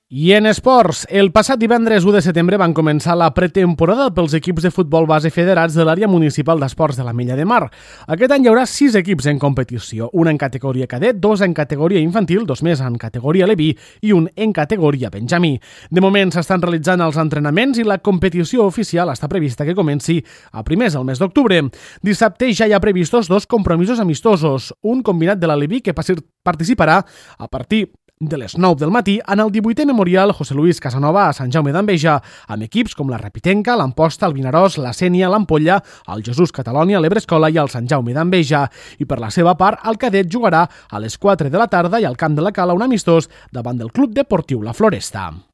I en esports, el passat divendres 1 de setembre van començar la pretemporada pels equips de futbol base federats de l'àrea municipal d'esports de l'Ametlla de Mar. Aquest any hi haurà 6 equips en competició, un en categoria cadet, 2 en categoria infantil, 2 més en categoria Leví i un en categoria Benjamí. De moment s'estan realitzant els entrenaments i la competició oficial està prevista que comenci a primers del mes d'octubre. Dissabte ja hi ha previstos 2 compromisos amistosos, un combinat de la Leví que participarà a partir de les 9 del matí en el 18è Memorial José Luis Casanova a Sant Jaume d'Enveja, amb equips com la Repitenca, l'Amposta, el Vinaròs, la Sénia, l'Ampolla, el Jesús Catalònia, l'Ebrescola i el Sant Jaume d'Enveja. I per la seva part, el cadet jugarà a les 4 de la tarda i al Camp de la Cala un amistós davant del Club Deportiu La Floresta.